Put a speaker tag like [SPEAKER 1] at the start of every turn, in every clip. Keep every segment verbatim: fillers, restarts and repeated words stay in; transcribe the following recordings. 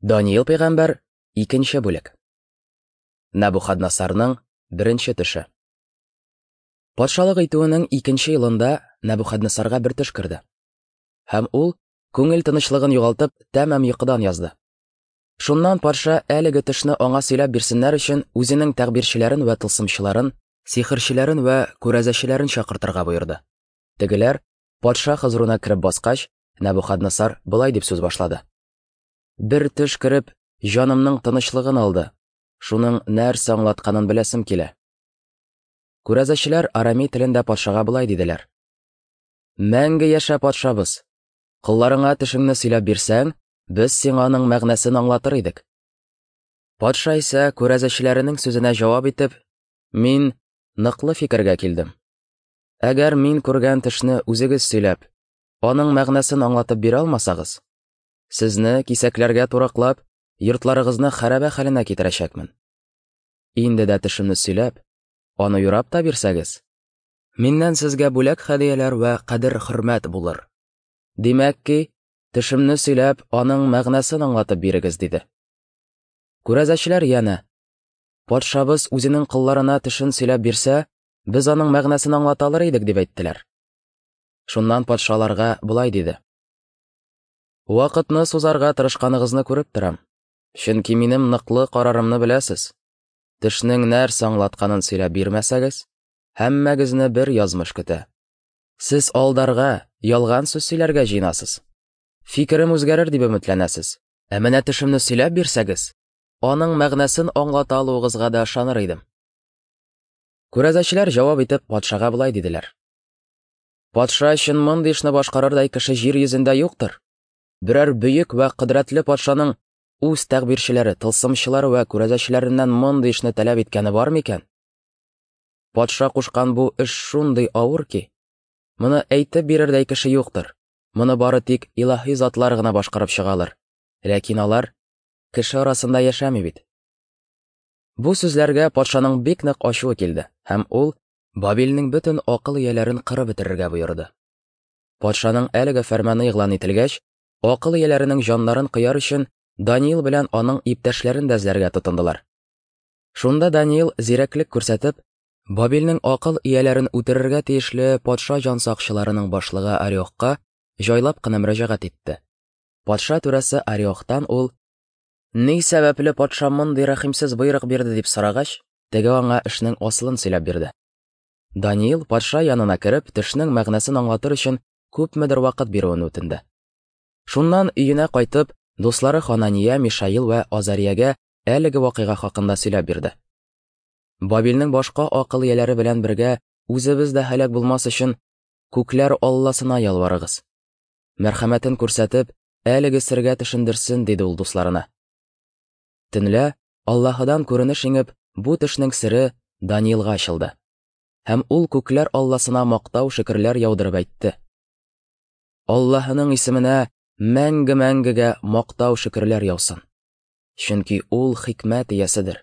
[SPEAKER 1] Даниил пәйгамбәр, икенче бүлек. Нәбухаднасарның беренче төше. Патшалык итүенең икенче елында Нәбухаднасарга бер төш керде. Һәм ул, күңел тынычлыгын югалтып, тәмам йокыдан язды. Шуннан патша әлеге төшне аңа сөйләп бирсеннәр өчен үзенең тәгъбирчеләрен вә тылсымчыларын, сихерчеләрен вә күрәзәчеләрен чакыртырга боерды. Тегеләр патша хозурына кереп баскач, Нәбухаднасар болай дип сүз башлады. Бер төш кереп, җанымның тынычлыгын алды. Шуның нәрсә аңлатканын беләсем килә. Күрәзәчеләр арамей телендә патшага болай диделәр. Мәңге яшә, патшабыз! Колларыңа төшеңне сөйләп бирсәң, без сиңа аның мәгънәсен аңлатыр идек. Патша исә күрәзәчеләренең сүзенә җавап итеп, мин ныклы фикергә килдем. Әгәр мин күргән төшне үзегез сөйләп, аның мәгънәсен аңлатып бирә алмасагыз, сезне кисәкләргә тураклап, йортларыгызны хәрабә хәленә китерәчәкмен. Инде дә төшемне сөйләп, аны юрап та бирсәгез, миннән сезгә бүләк хәдияләр вә кадер-хөрмәт булыр. Димәк ки, төшемне сөйләп, аның мәгънәсен аңлатып бирегез, диде. Күрәзәчеләр янә, патшабыз үзенең колларына төшен сөйләп бирсә, без аның мәгънәсен аңлата алыр идек, дип әйттеләр. Шуннан патшаларга болай диде. Вакытны сузарга тырышканыгызны күреп торам, чөнки минем ныклы карарымны беләсез. Төшнең нәрсә аңлатканын сөйләп бирмәсәгез, һәммәгезне бер язмыш көтә. Сез алдарга, ялган сүз сөйләргә җыенасыз. Фикерем үзгәрер дип өметләнәсез. Ә менә төшемне сөйләп бирсәгез, аның мәгънәсен аңлата алуыгызга да ышаныр идем. Күрәзәчеләр җавап итеп патшага болай диделәр. Патша өчен мондый эшне башкарырдай кеше җир йөзендә юктыр. Берәр бөек вә кодрәтле патшаның үз тәгъбирчеләре, тылсымчылары вә күрәзәчеләреннән мондый эшне таләп иткәне бар микән? Патша кушкан бу эш шундый авыр ки, моны әйтеп бирердәй кеше юктыр. Моны бары тик илаһи затлар гына башкарып чыгалар. Ләкин алар кеше арасында яшәми бит. Бу сүзләргә патшаның бик нык ачуы килде, һәм ул Бабилнең бөтен акыл ияләрен кырып бетерергә боерды. Патшаның әлеге фәрманы игълан ителгәч, акыл ияләренең җаннарын кыяр өчен Даниил белән аның иптәшләрен дә эзләргә тотындылар. Шунда Даниил зирәклек күрсәтеп, Бабилнең акыл ияләрен үтерергә тиешле патша җансакчыларының башлыгы Ариохка җайлап кына мөрәҗәгать итте. Патша түрәсе Ариохтан ул, ни сәбәпле патша мондый рәхимсез боерык бирде дип сорагач, теге аңа эшнең асылын сөйләп бирде. Даниил патша янына кереп, төшнең мәгънәсен аңлатыр өчен күпмедер вакыт бирүен үтенде. Шуннан өенә кайтып, дуслары Ханания, Мишаил вә Азариягә әлеге вакыйга хакында сөйләп бирде. Бабилнең башка акыл ияләре белән бергә үзебез дә һәлак булмас өчен күкләр Алласына ялварыгыз. Мәрхәмәтен күрсәтеп, әлеге сергә төшендерсен, диде ул дусларына. Төнлә Аллаһыдан күренеш иңеп, бу төшнең сере Даниилга ачылды. Һәм ул күкләр Алласына мактау шөкерләр яудырып әйтте. Аллаһының исеменә мәңге-мәңгегә мактау шөкерләр яусын. Чөнки ул хикмәт ияседер.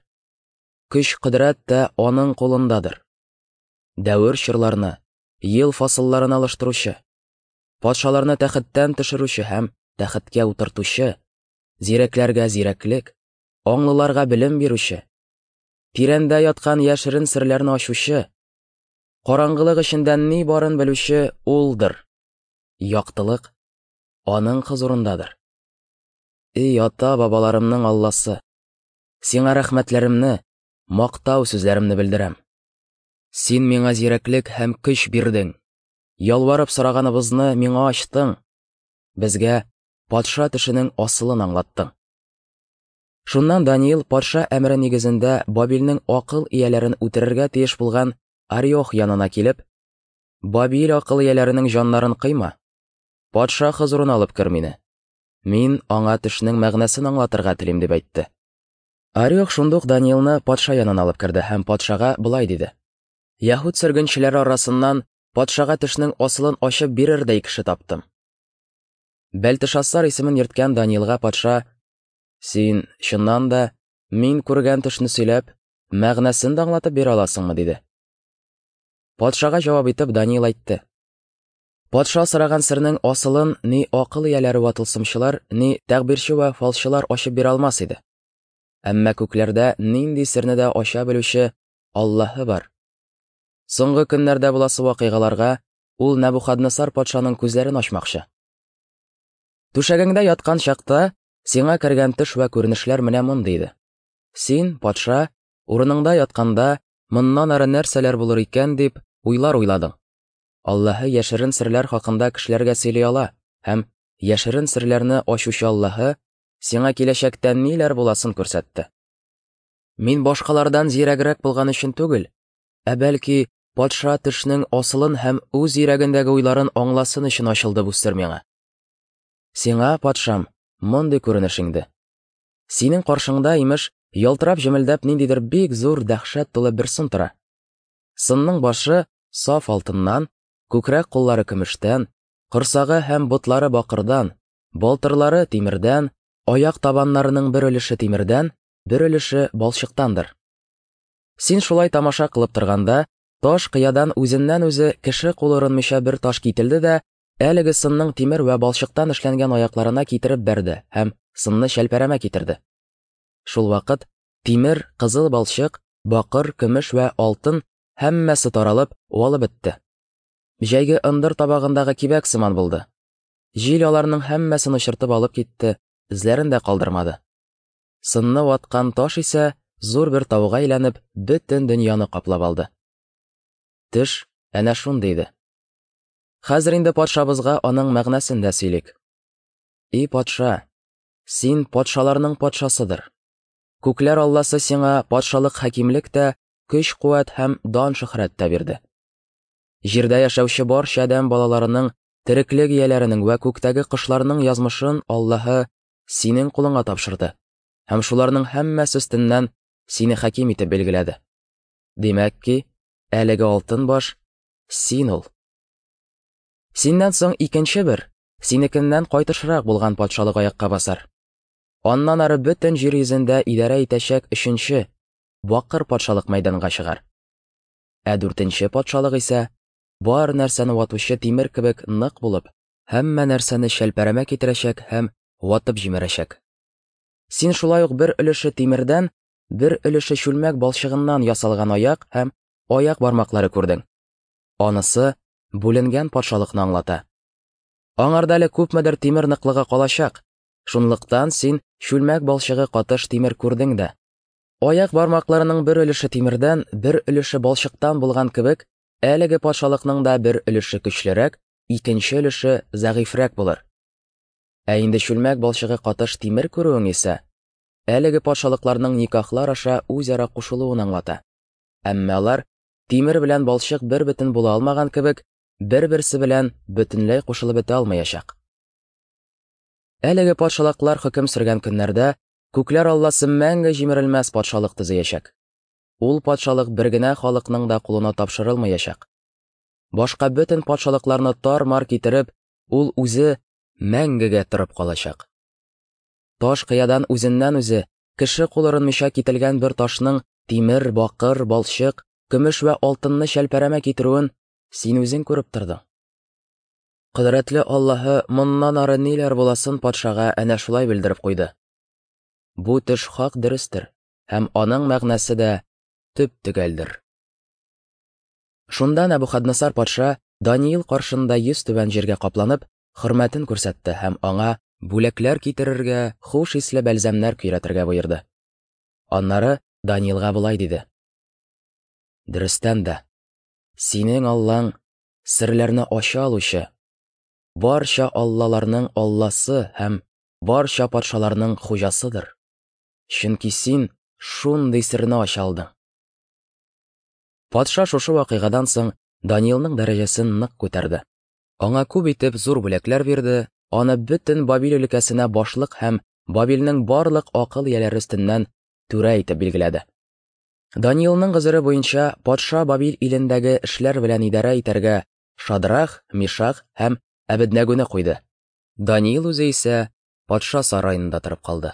[SPEAKER 1] Көч кодрәт тә аның кулындадыр. Дәвер чорларны, ел фасылларын алыштыручы, патшаларны тәхеттән төшерүче һәм тәхеткә утыртучы, зирәкләргә зирәклек, аңлыларга белем бирүче, тирәндә яткан яшерен серләрне ачучы, караңгылык эчендә ни барын белүче улдыр. Яктылык аның хозурындадыр. Эй ата-бабаларымның Алласы, сиңа рәхмәтләремне, мактау сүзләремне белдерәм. Син миңа зирәклек һәм көч бирдең. Ялварып сораганыбызны миңа ачтың. Безгә патша төшенең асылын аңлаттың. Шуннан Даниил патша әмере нигезендә Бабилнең акыл ияләрен үтерергә тиеш булган Ариох янына килеп, Бабил акыл ияләренең җаннарын кыйма, патша хозурына алып кер мине. Мин аңа төшнең мәгънәсен аңлатырга телим, дип әйтте. Ариох шундук Даниилны патша янына алып керде һәм патшага болай диде. Яһүд сөргенчеләре арасыннан патшага төшнең асылын ачып бирердәй кеше таптым. Бәлтешассар исемен йөрткән Даниилга патша, син чыннан да мин күргән төшне сөйләп, мәгънәсен дә аңлатып бирә аласыңмы, диде. Патшага җавап итеп Даниил әйтте. Патша сораган сернең асылын ни акыл ияләре вә тылсымчылар, ни тәгъбирче вә фалчылар ачып бирә алмас иде. Әмма күкләрдә нинди серне дә ача белүче Аллаһы бар. Соңгы көннәрдә буласы вакыйгаларга ул Нәбухаднессар патшаның күзләрен ачмакчы. Түшәгеңдә яткан чакта сиңа кергән төш вә күренешләр менә мондый иде. Син, патша, урыныңда ятканда, моннан ары нәрсәләр булыр икән дип уйлар уйладың. Аллаһы яшерен серләр хакында кешеләргә сөйли ала һәм яшерен серләрне ачучы Аллаһы сиңа киләчәктә ниләр буласын күрсәтте. Мин башкалардан зирәгрәк булган өчен түгел, ә бәлки патша төшнең асылын һәм үз йөрәгендәге уйларын аңласын өчен ачылды бу сер миңа. Сиңа, патшам, мондый күренеш иңде. Синең каршыңда, имеш, ялтырап җемелдәп ниндидер бик зур дәһшәт тулы бер сын тора. Сынның башы саф алтыннан, күкрәк куллары көмештән, корсагы һәм ботлары бакырдан, балтырлары тимердән, аяк табаннарының бер өлеше тимердән, бер өлеше балчыктандыр. Син шулай тамаша кылып торганда, таш кыядан үзеннән-үзе кеше кулы орынмыйча бер таш кителде дә, әлеге сынның тимер вә балчыктан эшләнгән аякларына китереп бәрде һәм сынны шәлпәрәмә китерде. Шул вакыт тимер, кызыл балчык, бакыр, көмеш вә алтын һәммәсе таралып, уалып бетте. Җәйге ындыр табагындагы кибәк сыман булды. Җил аларның һәммәсен очыртып алып китте, эзләрен дә калдырмады. Сынны ваткан таш исә зур бер тауга әйләнеп, бөтен дөньяны каплап алды. Төш әнә шундый иде. Хәзер инде патшабызга аның мәгънәсен дә сөйлик. И патша, син патшаларның патшасыдыр. Күкләр Алласы сиңа патшалык хакимлек тә, көч-куәт һәм дан-шөһрәт тә бирде. Җирдә яшәүче барча адәм балаларының, тереклек ияләренең вә күктәге кошларның язмышын Аллаһы синең кулыңа тапшырды һәм шуларның һәммәсе өстеннән сине хаким итеп билгеләде. Димәк ки, әлеге алтын баш син ул. Синнән соң икенче бер, синекеннән кайтышрак булган патшалык аякка басар. Аннан ары бөтен җир йөзендә идарә итәчәк өченче, бакыр патшалык мәйданга чыгар. Ә дүртенче патшалык исә бар нәрсәне ватучы тимер кебек нык булып, һәммә нәрсәне шәлпәрәмә китерәчәк һәм ватып җимерәчәк. Син шулай ук бер өлеше тимердән, бер өлеше чүлмәк балчыгыннан ясалган аяк һәм аяк бармаклары күрдең. Анысы бүленгән патшалыкны аңлата. Аңарда әле күпмедер тимер ныклыгы калачак. Шунлыктан син чүлмәк балчыгы катыш тимер күрдең дә. Аяк бармакларының бер өлеше тимердән, бер өлеше балчыктан булган кебек, әлеге патшалыкның да бер өлеше көчлерәк, икенче өлеше зәгыйфьрәк булыр. Ә инде чүлмәк балчыгы катыш тимер күрүең исә, әлеге патшалыкларның никахлар аша үзара кушылуын аңлата. Әмма алар тимер белән балчык бер бөтен була алмаган кебек, бер-берсе белән бөтенләй кушылып бетә алмаячак. Әлеге патшалыклар хөкем сөргән көннәрдә күкләр Алласы мәңге җимерелмәс патшалык төзеячәк. Ул патшалык бер генә халыкның да кулына тапшырылмаячак. Башка бөтен патшалыкларны тар-мар китереп, ул үзе мәңгегә торып калачак. Таш кыядан үзеннән-үзе кеше кул орынмыйча кителгән бер ташның тимер, бакыр, балчык, көмеш вә алтынны шәлпәрәмә китерүен син үзең күреп тордың. Кодрәтле Аллаһы моннан ары ниләр буласын патшага әнә шулай белдереп куйды. Бу төш хак дөрестер һәм аның мәгънәсе дә төп-төгәлдер. Шунда Нәбухаднессар патша Даниил каршында йөз түбән җиргә капланып, хөрмәтен күрсәтте һәм аңа бүләкләр китерергә, хуш исле бәлзәмнәр көйрәтергә боерды. Аннары Даниилга болай диде: Дөрестән дә, синең Аллаң серләрне ача алучы, барча аллаларның алласы һәм барча патшаларның хуҗасыдыр. Чөнки син шундый серне ача алдың. Патша шушы вакыйгадан соң Даниилның дәрәҗәсен нык күтәрде. Аңа күп итеп зур бүләкләр бирде, аны бөтен Бабил өлкәсенә башлык һәм Бабилнең барлык акыл ияләре өстеннән түрә итеп билгеләде. Даниилның гозере буенча патша Бабил илендәге эшләр белән идарә итәргә Шадрах, Мишах һәм Әбеднәгүне куйды. Даниил үзе исә патша сараенда торып калды.